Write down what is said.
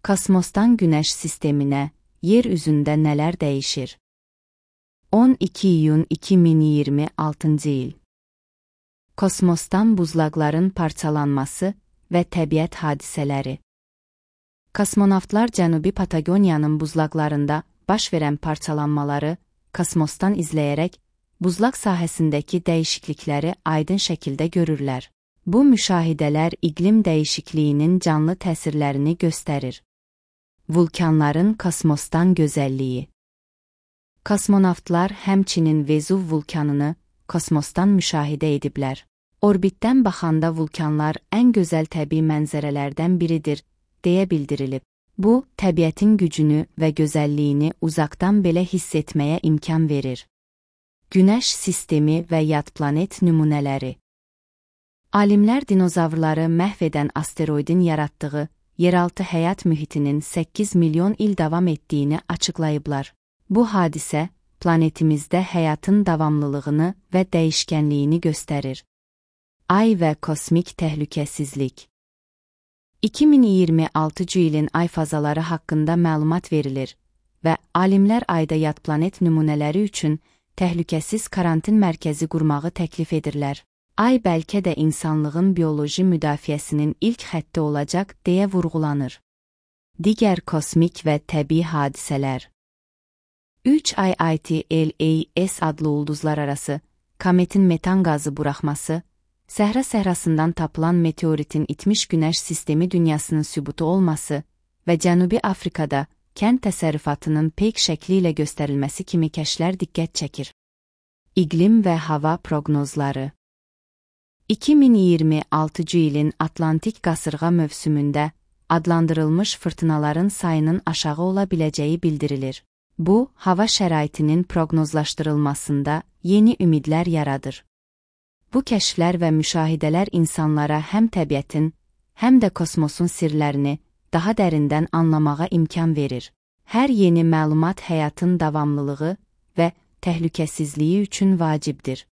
Kosmosdan Günəş sisteminə, yer üzündə nələr dəyişir? 12 iyun 2026 il. Kosmosdan buzlaqların parçalanması və təbiət hadisələri. Kosmonavtlar Cənubi Patagoniyanın buzlaqlarında baş verən parçalanmaları kosmosdan izləyərək buzlaq sahəsindəki dəyişiklikləri aydın şəkildə görürlər. Bu müşahidələr iqlim dəyişikliyinin canlı təsirlərini göstərir. Vulkanların kosmosdan gözəlliyi. Kosmonavtlar həmçinin Vezuv vulkanını kosmosdan müşahidə ediblər. Orbitdən baxanda vulkanlar ən gözəl təbii mənzərələrdən biridir, deyə bildirilib. Bu, təbiətin gücünü və gözəlliyini uzaqdan belə hiss etməyə imkan verir. Günəş sistemi və yad planet nümunələri. Alimlər dinozavrları məhv edən asteroidin yaratdığı yeraltı həyat mühitinin 8 milyon il davam etdiyini açıqlayıblar. Bu hadisə, planetimizdə həyatın davamlılığını və dəyişkənliyini göstərir. Ay və kosmik təhlükəsizlik. 2026 ilin ay fazaları haqqında məlumat verilir və alimlər ayda yad planet nümunələri üçün təhlükəsiz karantin mərkəzi qurmağı təklif edirlər. Ay bəlkə də insanlığın bioloji müdafiəsinin ilk xətti olacaq deyə vurğulanır. Digər kosmik və təbii hadisələr. 3 ITLAS adlı ulduzlar arası, kometin metan qazı buraxması, Səhra səhrasından tapılan meteoritin itmiş günəş sistemi dünyasının sübutu olması və Cənubi Afrikada kənd təsərrüfatının peyk şəkli ilə göstərilməsi kimi kəşflər diqqət çəkir. İqlim və hava proqnozları. 2026 ilin Atlantik qasırğa mövsümündə adlandırılmış fırtınaların sayının aşağı ola biləcəyi bildirilir. Bu, hava şəraitinin proqnozlaşdırılmasında yeni ümidlər yaradır. Bu kəşflər və müşahidələr insanlara həm təbiətin, həm də kosmosun sirlərini daha dərindən anlamağa imkan verir. Hər yeni məlumat həyatın davamlılığı və təhlükəsizliyi üçün vacibdir.